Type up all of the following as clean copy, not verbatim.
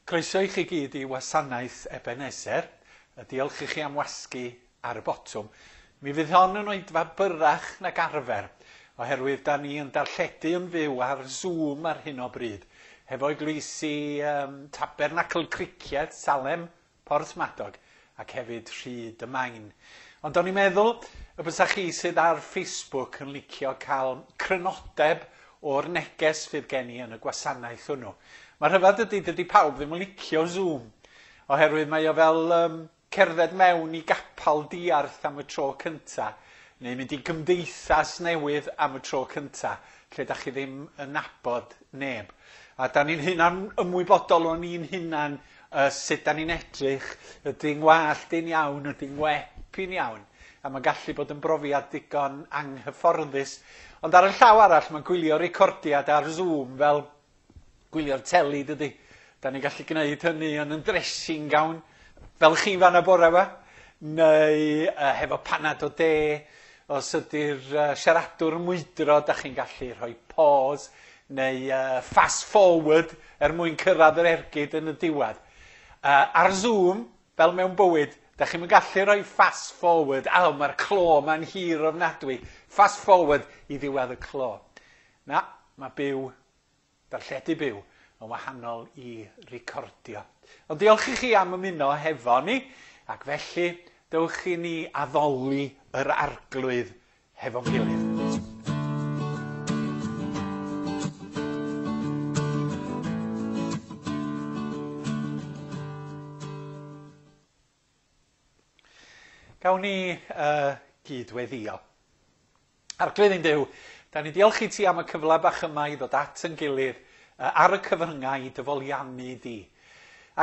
Croeso i chi gyd i wasanaeth Ebenezer. Diolch i chi am wasgu ar y botwm. Mi fydd hon yn oedfa byrrach nag arfer, oherwydd da ni yn darlledu yn fyw ar Zoom ar hyn o bryd, hefo eglwysi um, Tabernacl Cricieth, Salem, Porthmadog ac hefyd Rhyd y Main. Ond o'n i'n meddwl y bysa chi sydd ar Facebook yn licio cael crynodeb o'r neges fydd gen i yn y gwasanaeth hwnnw. Mae rhyfedd ydy, dydy pawb ddim yn licio Zoom, oherwydd mae o fel um, cerdded mewn i gapal diarth am y tro cynta, neu mynd i gymdeithas newydd am y tro cynta, lle da chi ddim yn nabod neb. A da ni'n hunan ymwybodol o'n ni'n hunan uh, sut da ni'n edrych, ydy'n ngwallt i'n iawn, ydy'n ngwep i'n iawn. A mae'n gallu bod yn brofiad digon anghyfforddus. Ond ar y llaw arall, mae'n gwylio recordiad ar Zoom fel gwylio'r teli, dydy. Da ni'n gallu gwneud hynny yn yn dressing gown, fel chi fan y bore yma, neu uh, hefo panad o de, os ydy'r uh, siaradwr yn mwydro, da chi'n gallu rhoi pause neu uh, fast forward er mwyn cyrraedd yr ergyd yn y diwedd. Uh, ar Zoom, fel mewn bywyd, da chi'n gallu rhoi fast forward. A, oh, mae'r clo ma'n hir ofnadwy. Fast forward i ddiwedd y clo. Na, mae byw, darlledu byw, yn wahanol i recordio. Ond diolch i chi am ymuno hefo ni, ac felly dewch i ni addoli yr arglwydd hefo'n gilydd. Gawn ni uh, gyd-weddio. Arglwydd ein Duw, da ni diolch i ti am y cyfle bach yma i ddod at yn gilydd uh, ar y cyfryngau i dyfoliannu di.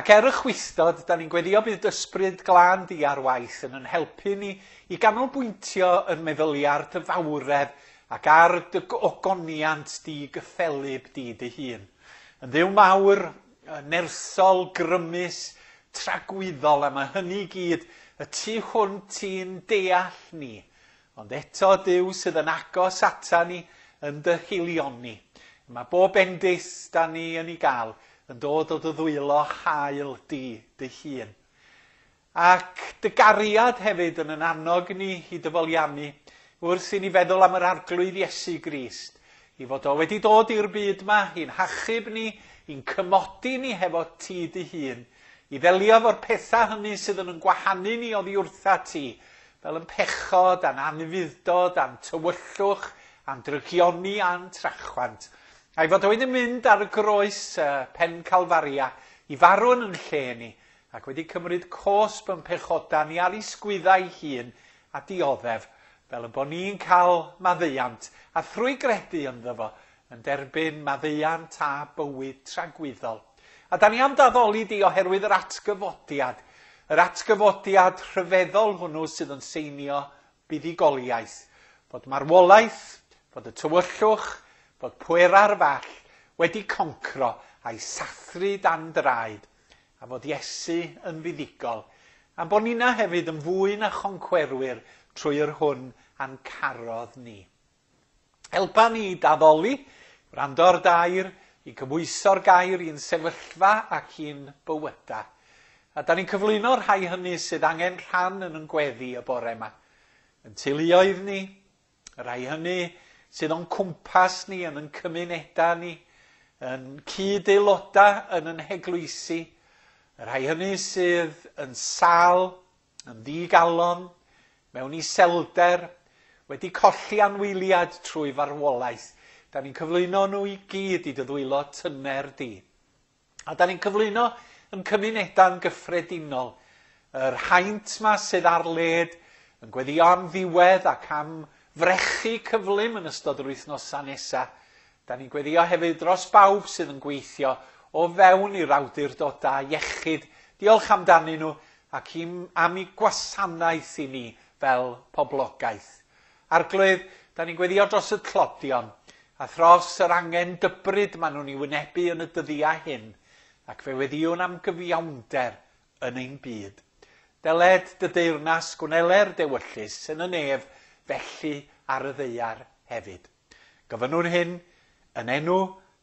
Ac er y chwistod, da ni'n gweddio bydd ysbryd glân di ar waith yn yn helpu ni i ganolbwyntio yn meddyliau ar dy fawredd ac ar dy ogoniant di gyffelyb di dy hun. Yn ddiw mawr, nersol, grymus, tragwyddol, a mae hynny i gyd y tu hwnt i'n deall ni. Ond eto Duw sydd yn agos ata ni yn dy haelioni. Mae bob bendith da ni yn ei gael yn dod o dy ddwylo hael di dy hun. Ac dy gariad hefyd yn yn annog ni i dyfoliannu wrth i ni feddwl am yr arglwydd Iesu Grist, i fod o wedi dod i'r byd yma, i'n hachub ni, i'n cymodi ni hefo ti dy hun, i ddelio efo'r pethau hynny sydd yn yn gwahanu ni oddi wrtha ti, fel yn pechod, a'n anufudd-dod, a'n tywyllwch, a'n drygioni, a'n trachwant. A'i fod o wedi mynd ar y groes uh, pen Calfaria i farw yn yn lle ni, ac wedi cymryd cosb yn pechoda ni ar ei sgwyddau hun a dioddef, fel y bod ni'n cael maddeuant, a thrwy gredu ynddo fo, yn derbyn maddeuant a bywyd tragwyddol. A da ni am daddoli di oherwydd yr atgyfodiad, yr atgyfodiad rhyfeddol hwnnw sydd yn seinio buddugoliaeth, fod marwolaeth, fod y tywyllwch, fod pwera'r fall wedi concro a'i sathru dan draed, a fod Iesu yn fuddugol, a bod nina hefyd yn fwy na choncwerwyr trwy yr hwn a'n carodd ni. Helpa ni i daddoli, gwrando ar dair, i gymhwyso'r gair i'n sefyllfa ac i'n bywyda. A da ni'n cyflwyno'r rhai hynny sydd angen rhan yn yn gweddi y bore yma. Yn teuluoedd ni, y rhai hynny sydd o'n cwmpas ni, yn yn cymunedau ni, yn cyd-aelodau yn yn heglwysi, y rhai hynny sydd yn sal, yn ddigalon, mewn iselder, wedi colli anwyliad trwy farwolaeth. Da ni'n cyflwyno nhw i gyd i dy ddwylo tyner di. A da ni'n cyflwyno yn cymunedau'n gyffredinol. Yr haint ma sydd ar led yn gweddio am ddiwedd ac am frechu cyflym yn ystod yr wythnosau nesaf. Da ni'n gweddio hefyd dros bawb sydd yn gweithio o fewn i'r awdurdodau iechyd. Diolch amdanyn nhw ac am eu gwasanaeth i ni fel poblogaeth. Arglwydd, da ni'n gweddio dros y tlodion a thros yr angen dybryd maen nhw'n ei wynebu yn y dyddiau hyn, ac fe weddiwn am gyfiawnder yn ein byd. Deled dy deyrnas gwneler dewyllys yn y nef, felly ar y ddaear hefyd. Gofynnwn hyn yn enw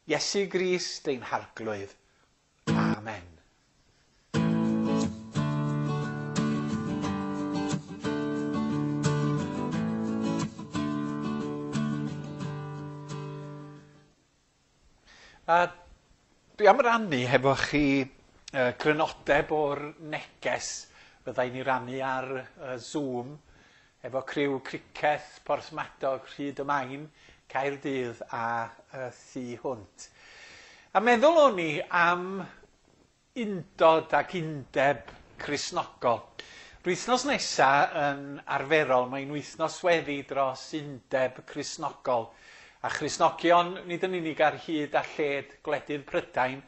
Iesu Grist ein harglwydd. Amen. A dwi am rannu hefo chi crynodeb o'r neges fyddai'n ei rannu ar Zoom efo criw Criceth, Porthmadog, Rhyd y Main, Caerdydd a thu hwnt. A meddwl o'n i am undod ac undeb Cristnogol. Yr wythnos nesa yn arferol mae'n wythnos weddi dros undeb Cristnogol, a Christnogion nid yn unig ar hyd a lled gwledydd Prydain,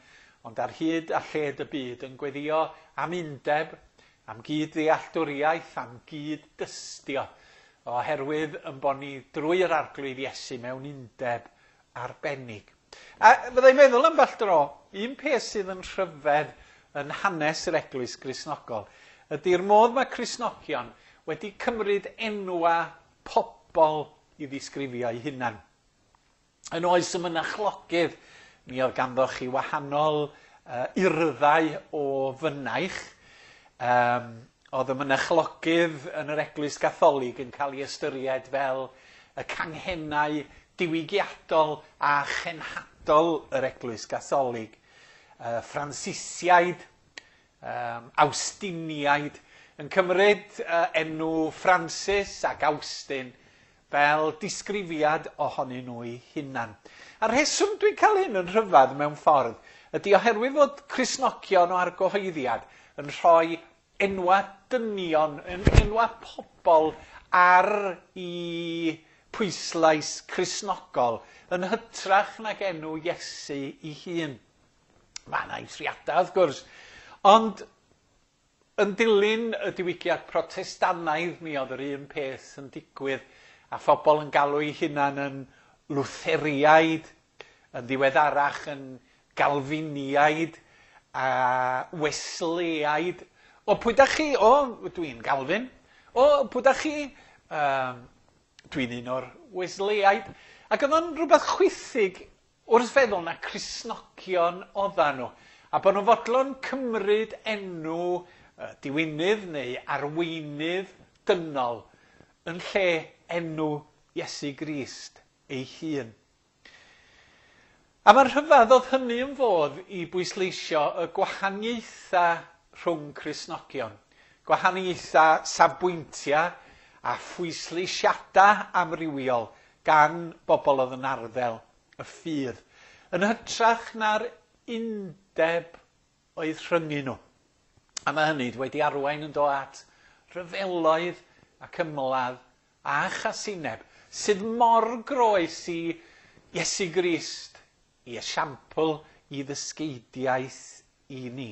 ond ar hyd a lled y byd yn gweddio am undeb, am gyd-ddealltwriaeth, am gyd-dystio, oherwydd yn bod ni drwy yr Arglwydd Iesu mewn undeb arbennig. A fyddai'n meddwl ambell dro, un peth sydd yn rhyfedd yn hanes yr Eglwys Gristnogol ydy'r modd mae Cristnogion wedi cymryd enwa pobl i ddisgrifio eu hunan. Yn oes y mynachlogydd, mi oedd ganddo chi wahanol urddau o fynaich. Oedd y mynachlogydd yn yr Eglwys Gatholig yn cael ei ystyried fel y canghennau diwygiadol a chenhadol yr Eglwys Gatholig. Ffransisiaid, Awstiniaid, yn cymryd enw Francis ac Awstin fel disgrifiad ohonyn nhw'u hunan. A'r rheswm dwi'n cael hyn yn rhyfedd mewn ffordd ydy oherwydd fod Cristnogion o argyhoeddiad yn rhoi enwa dynion, enwa pobl ar i pwyslais Cristnogol yn hytrach nag enw Iesu ei hun. Mae yna eithriadau, wrth gwrs, ond yn dilyn y diwygiad Protestannaidd mi oedd yr un peth yn digwydd, a phobl yn galw eu hunan yn Lwtheriaid, yn ddiweddarach yn Galfiniaid a Wesleyaid. O, pwy da chi? O, dwi'n Galfin. O, pwy da chi? Dwi'n un o'r Wesleyaid. Ac oedd o'n rhywbeth chwithig wrth feddwl na Cristnogion oeddan nhw, a bod nhw'n fodlon cymryd enw diwinydd neu arweinydd dynol yn lle enw Iesu Grist ei hun. A mae'n rhyfedd oedd hynny yn fodd i bwysleisio y gwahaniaethau rhwng Cristnogion, gwahaniaethau safbwyntiau a phwysleisiadau amrywiol gan bobl oedd yn arddel y ffydd, yn hytrach na'r undeb oedd rhyngu nhw. A mae hynny wedi arwain yn dod at rhyfeloedd ac ymladd a chasineb sydd mor groes i Iesu Grist, i esiampl, i ddysgeidiaeth i ni.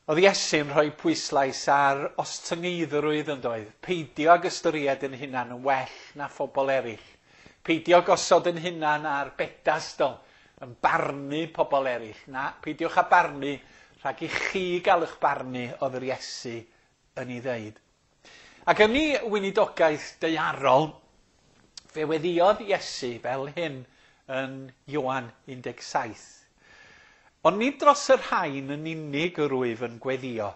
Oedd Iesu'n rhoi pwyslais ar ostyngeiddrwydd yn doedd, peidio ag ystyried yn hunan yn well na phobl eraill, peidio gosod yn hunan ar bedestol, yn barnu pobl eraill, na, peidiwch â barnu rhag i chi gael eich barnu, oedd yr Iesu yn ei ddeud. Ac yn ei weinidogaeth daearol, fe weddïodd Iesu fel hyn yn Ioan 17. Ond nid dros y rhain yn unig yr wyf yn gweddio,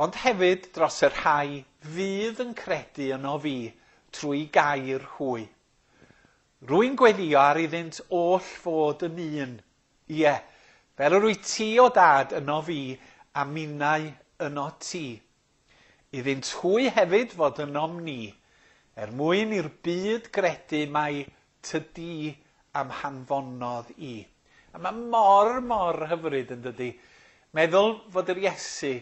ond hefyd dros y rhai fydd yn credu yno fi trwy gair hwy. Rwy'n gweddio ar iddynt oll fod yn un. Ie, fel yr wyt ti o dad yno fi a minnau yno ti. Iddynt hwy hefyd fod ynom ni, er mwyn i'r byd gredu mai tydi am hanfonodd i. A mae mor, mor hyfryd yn dydi, meddwl fod yr Iesu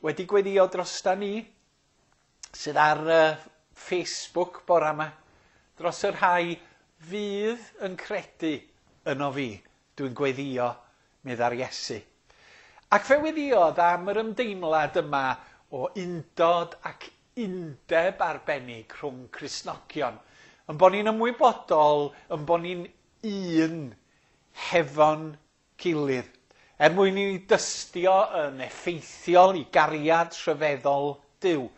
wedi gweddio drosta ni, sydd ar Facebook bora yma, dros y rhai fydd yn credu yno fi, dwi'n gweddio, meddai'r Iesu. Ac fe weddiodd am yr ymdeimlad yma o undod ac undeb arbennig rhwng Cristnogion, yn bod ni'n ymwybodol, yn bod ni'n un hefo'n gilydd, er mwyn i ni dystio yn effeithiol i gariad rhyfeddol Duw.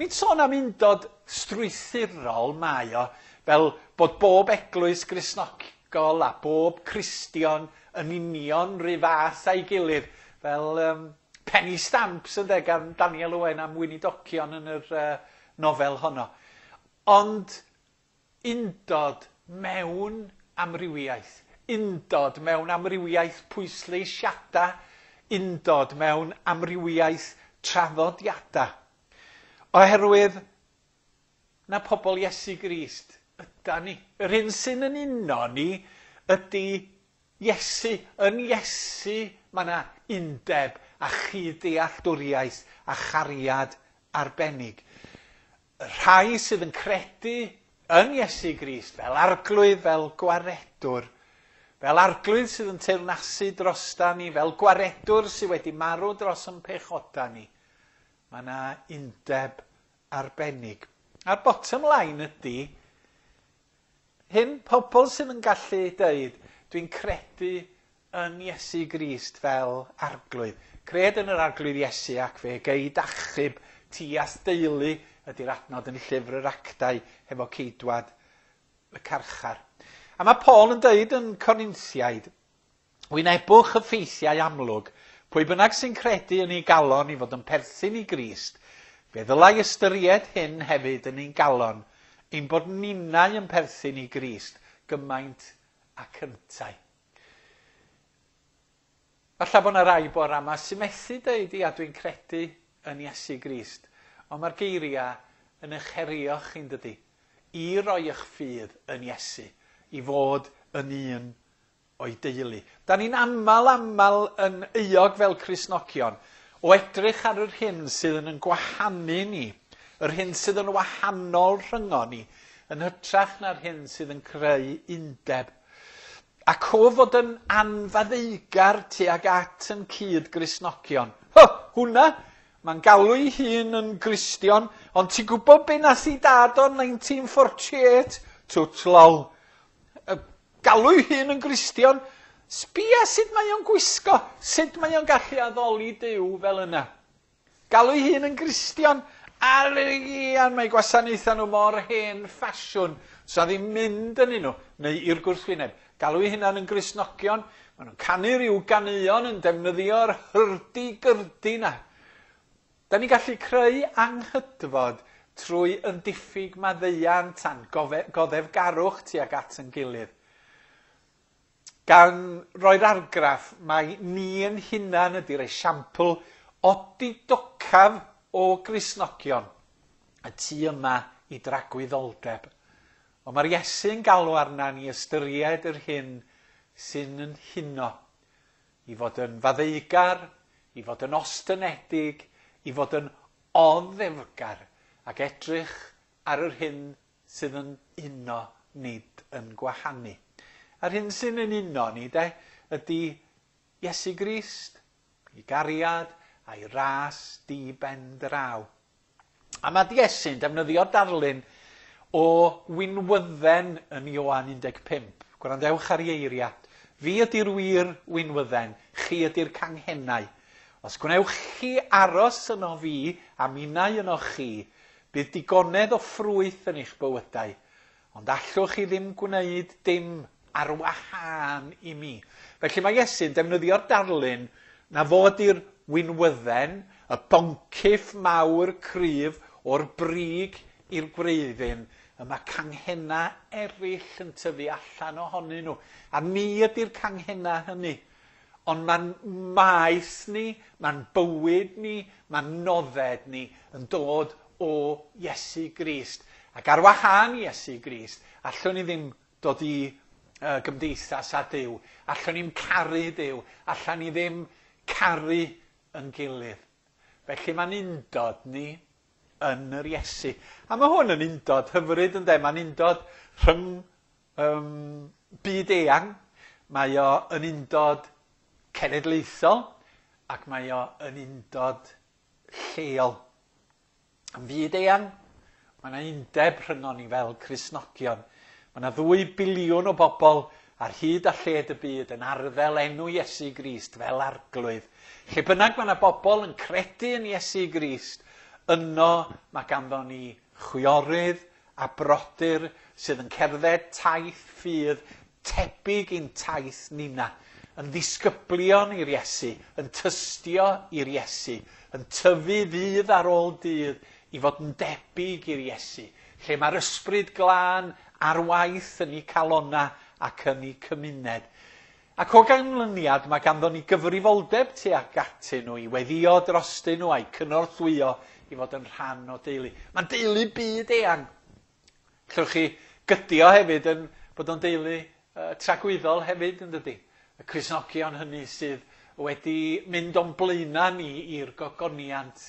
Nid sôn am undod strwythurol mae o, fel bod bob eglwys Gristnogol a bob Cristion yn union rhy fath a'i gilydd, fel penny stamps ynde, gan Daniel Owen am weinidogion yn yr nofel honno. Ond undod mewn amrywiaeth, Undod mewn amrywiaeth pwysleisiadau, undod mewn amrywiaeth traddodiadau. Oherwydd na pobl Iesu Grist yda ni. Yr hyn sy'n yn uno ni ydy Iesu. Yn Iesu mae yna undeb a chyd-dealltwriaeth a chariad arbennig. Y rhai sydd yn credu yn Iesu Grist fel arglwydd, fel gwaredwr, fel arglwydd sydd yn teyrnasu drosta ni, fel gwaredwr sydd wedi marw dros yn pechoda ni, mae yna undeb arbennig. A'r bottom line ydy, hyn, pobl sydd yn gallu deud, dwi'n credu yn Iesu Grist fel arglwydd. Cred yn yr arglwydd Iesu ac fe gei d'achub ti a'th deulu ydy'r adnod yn llyfr yr actau hefo ceidwad y carchar. A mae Paul yn deud yn Corinthiaid, wynebwch y ffeithiau amlwg, pwy bynnag sy'n credu yn ei galon i fod yn perthyn i Grist, fe ddylai ystyried hyn hefyd yn ein galon, ein bod ninnau yn perthyn i Grist gymaint ac yntau. Falle bod yna rai bore yma sy'n methu dweud, ia, dwi'n credu yn Iesu Grist. Ond mae'r geiriau yn eich herio chi'n dydy, i roi eich ffydd yn Iesu, i fod yn un o'i deulu. Da ni'n aml, aml yn euog fel Cristnogion o edrych ar yr hyn sydd yn gwahanu ni, yr hyn sydd yn wahanol rhyngo ni, yn hytrach na'r hyn sydd yn creu undeb. Ac o fod yn anfaddeugar tuag at yn cyd Gristnogion. Hy, hwnna! Mae'n galw ei hun yn Gristion, ond ti'n gwybod be nath i dad o 1948? Twt lol. Galw ei hun yn Gristion? Sbia sut mae o'n gwisgo, sut mae o'n gallu addoli Duw fel yna. Galw ei hun yn Gristion, a ian, mae gwasanaethau nhw mor hen ffasiwn, so ddim mynd yn nhw, neu i'r gwrthwyneb. Galw ei hunan yn Gristnogion, maen nhw'n canu rhyw ganeuon yn defnyddio'r hyrdi-gyrdi na. Da ni'n gallu creu anghydfod trwy yn diffyg maddeuant a'n goddefgarwch tuag at yn gilydd. Gan roi'r argraff mai ni yn hunan ydy'r esiampl odidocaf o Gristnogion y tu yma i dragwyddoldeb. Ond mae'r Iesu'n galw arna ni ystyried yr hyn sy'n yn huno, i fod yn faddeugar, i fod yn ostynedig, i fod yn oddefgar, ac edrych ar yr hyn sydd yn uno, nid yn gwahanu. A'r hyn sy'n yn uno ni, de, ydy Iesu Grist, ei gariad a'i ras di ben draw. A mae Iesu'n defnyddio darlun o winwydden yn Ioan 15. Gwrandewch ar ei eiriau. Fi ydy'r wir winwydden, chi ydy'r canghennau. Os gwnewch chi aros yno fi a minnau yno chi, bydd digonedd o ffrwyth yn eich bywydau, ond allwch chi ddim gwneud dim ar wahân i mi. Felly mae Iesu'n defnyddio'r darlun na fod i'r winwydden, y boncyff mawr cryf o'r brig i'r gwreiddyn, y mae canghennau eraill yn tyfu allan ohonyn nhw. A ni ydy'r canghennau hynny. Ond mae'n maes ni, mae'n bywyd ni, mae'n nodded ni yn dod o Iesu Grist. Ac ar wahân i Iesu Grist, allwn ni ddim dod i gymdeithas â Duw. Allwn ni'm caru Duw. Allwn ni ddim caru yn gilydd. Felly mae'n undod ni yn yr Iesu. A mae hwn yn undod hyfryd ynde? Mae'n undod rhyng byd eang. Mae o yn undod cenedlaethol ac mae o yn undod lleol. Yn fyd eang, mae yna undeb rhyngon ni fel Cristnogion. Mae yna 2 biliwn o bobl ar hyd a lled y byd yn arddel enw Iesu Grist fel arglwydd. Lle bynnag mae yna bobl yn credu yn Iesu Grist, yno mae ganddo ni chwiorydd a brodyr sydd yn cerdded taith ffydd tebyg i'n taith nina, yn ddisgyblion i'r Iesu, yn tystio i'r Iesu, yn tyfu ddydd ar ôl dydd i fod yn debyg i'r Iesu, lle mae'r ysbryd glân ar waith yn eu calonnau ac yn eu cymuned. Ac o ganlyniad mae ganddo ni gyfrifoldeb tuag atyn nhw i weddio drostyn nhw a'i cynorthwyo i fod yn rhan o deulu. Mae'n deulu byd eang. Allwch chi gydio hefyd yn bod o'n deulu tragwyddol hefyd, yn dydy? Y Cristnogion hynny sydd wedi mynd o'n blaenau ni i'r gogoniant,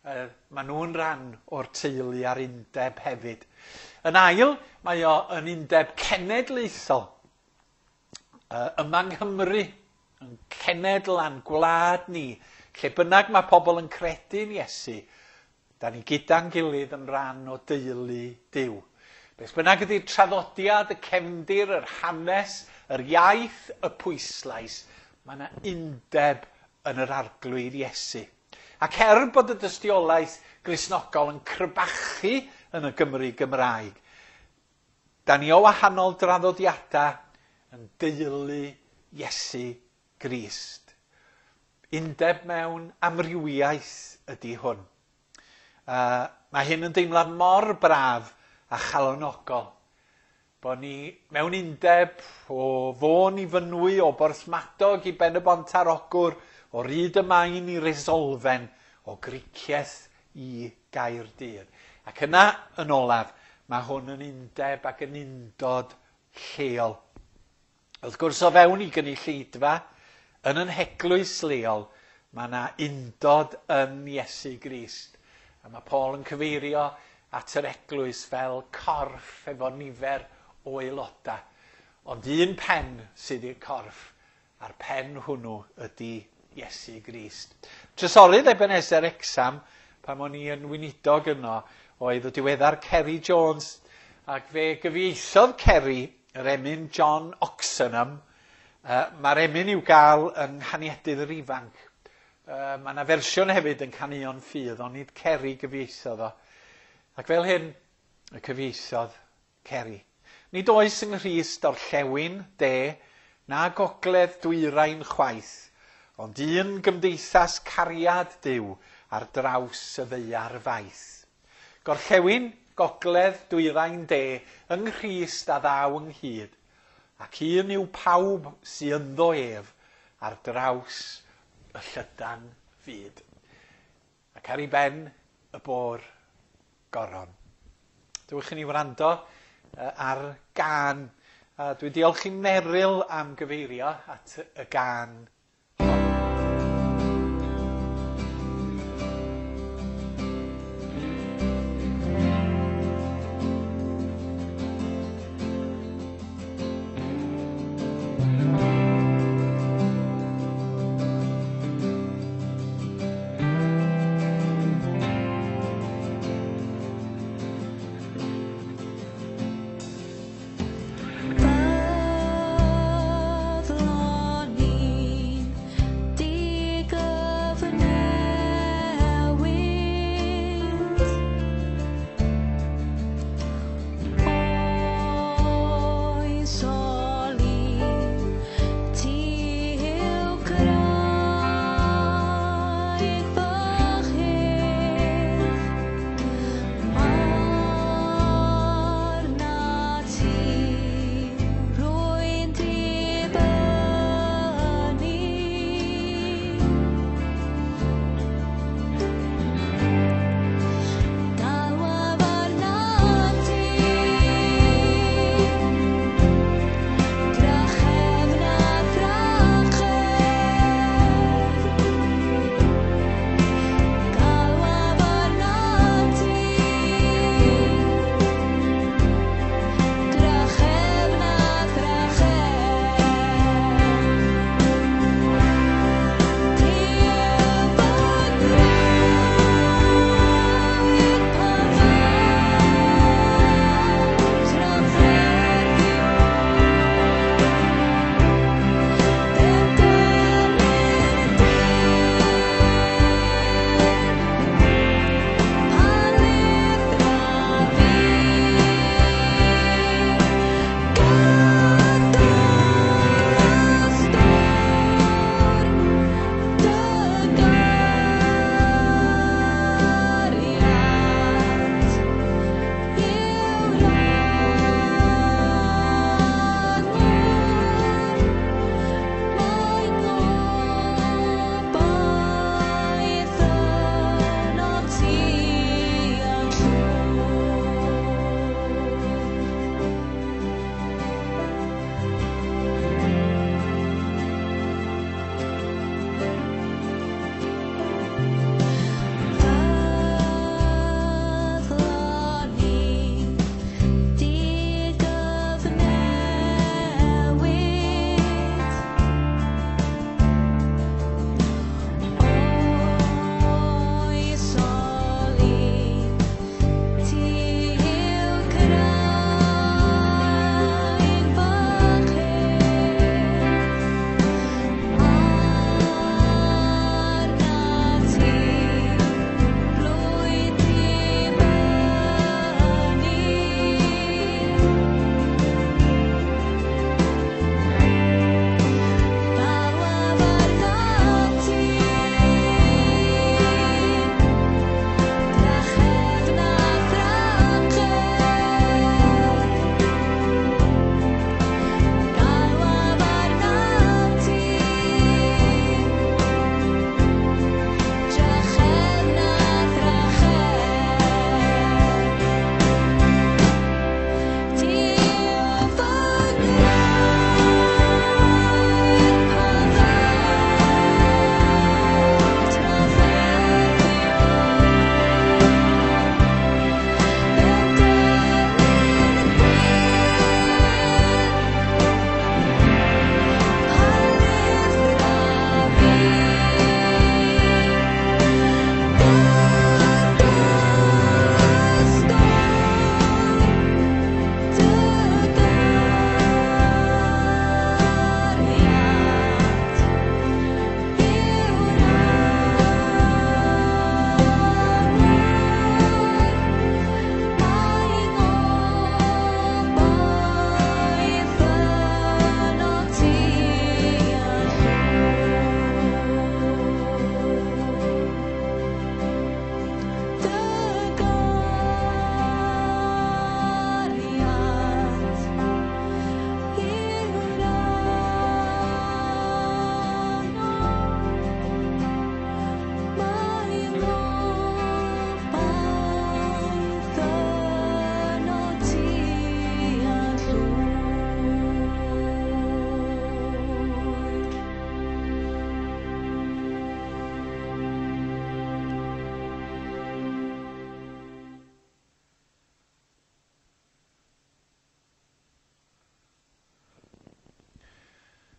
maen nhw'n rhan o'r teulu a'r undeb hefyd. Yn ail, mae o yn undeb cenedlaethol. Yma yng Nghymru, yn cenedl a'n gwlad ni, lle bynnag mae pobl yn credu'n Iesu, da ni gyda'n gilydd yn rhan o deulu Duw. Beth bynnag ydy'r traddodiad, y cefndir, yr hanes, yr iaith, y pwyslais, mae yna undeb yn yr Arglwydd Iesu. Ac er bod y dystiolaeth Gristnogol yn crebachu yn y Gymru Gymraeg, da ni o wahanol draddodiadau yn deulu Iesu Grist. Undeb mewn amrywiaeth ydy hwn. Mae hyn yn deimlad mor braf a chalonogol. Bod ni mewn undeb o Fôn i Fynwy, o Borthmadog i Ben-y-bont ar Ogwr, o Ryd y Main i Resolfen, o Gricieth i Gaerdydd. Ac yna, yn olaf, mae hwn yn undeb ac yn undod lleol. Wrth gwrs, o fewn i gynulleidfa, yn yn heglwys leol, mae yna undod yn Iesu Grist. A mae Paul yn cyfeirio at yr eglwys fel corff efo nifer o aelodau. Ond un pen sydd i'r corff, a'r pen hwnnw ydy Iesu Grist. Trysorydd Ebenezer Wrecsam, pan o'n i yn weinidog yno, oedd y diweddar Kerry Jones, ac fe gyfieithodd Kerry yr emyn John Oxenham. Mae'r emyn i'w gael yng Nghaniedydd yr Ifanc. Mae yna fersiwn hefyd yn Caneuon Ffydd, ond nid Kerry gyfieithodd o. Ac fel hyn y cyfieithodd Kerry. Nid oes yng Nghrist orllewin, de, na gogledd dwyrain chwaith, ond un gymdeithas cariad Duw ar draws y ddaear faith. Gorllewin, gogledd, dwyrain, de, yng Nghrist a ddaw ynghyd, ac un yw pawb sy ynddo ef ar draws y llydan fyd. Ac ar ei ben y bo'r goron. Dewch i ni wrando ar gân. Dwi'n diolch i Meryl am gyfeirio at y gân. Byddwn ni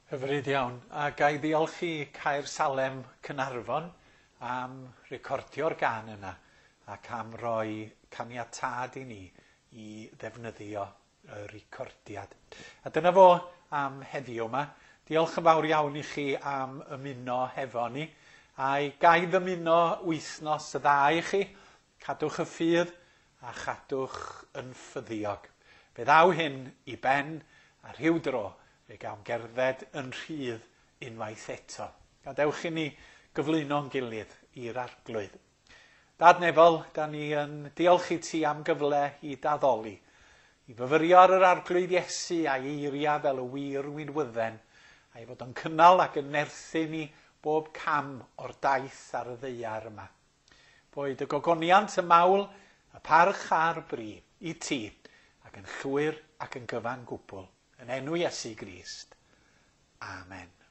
Hyfryd iawn. A ga i ddiolch i Caersalem Caernarfon am recordio'r gân yna ac am roi caniatâd i ni i ddefnyddio y recordiad. A dyna fo am heddiw yma. Diolch yn fawr iawn i chi am ymuno hefo ni. A ga i ddymuno wythnos dda i chi. Cadwch y ffydd a chadwch yn ffyddiog. Fe ddaw hyn i ben a rhyw dro fe gawn gerdded yn rhydd unwaith eto. Gadewch i ni gyflwyno'n gilydd i'r Arglwydd. Dad Nefol, da ni yn diolch i ti am gyfle i d'addoli, i fyfyrio ar yr Arglwydd Iesu a'i eiriau fel y wir winwydden, a'i fod yn cynnal ac yn nerthu ni bob cam o'r daith ar y ddaear yma. Boed y gogoniant, y mawl, y parch a'r bri i ti, ac yn llwyr ac yn gyfan gwbl, yn enw Iesu Grist. Amen.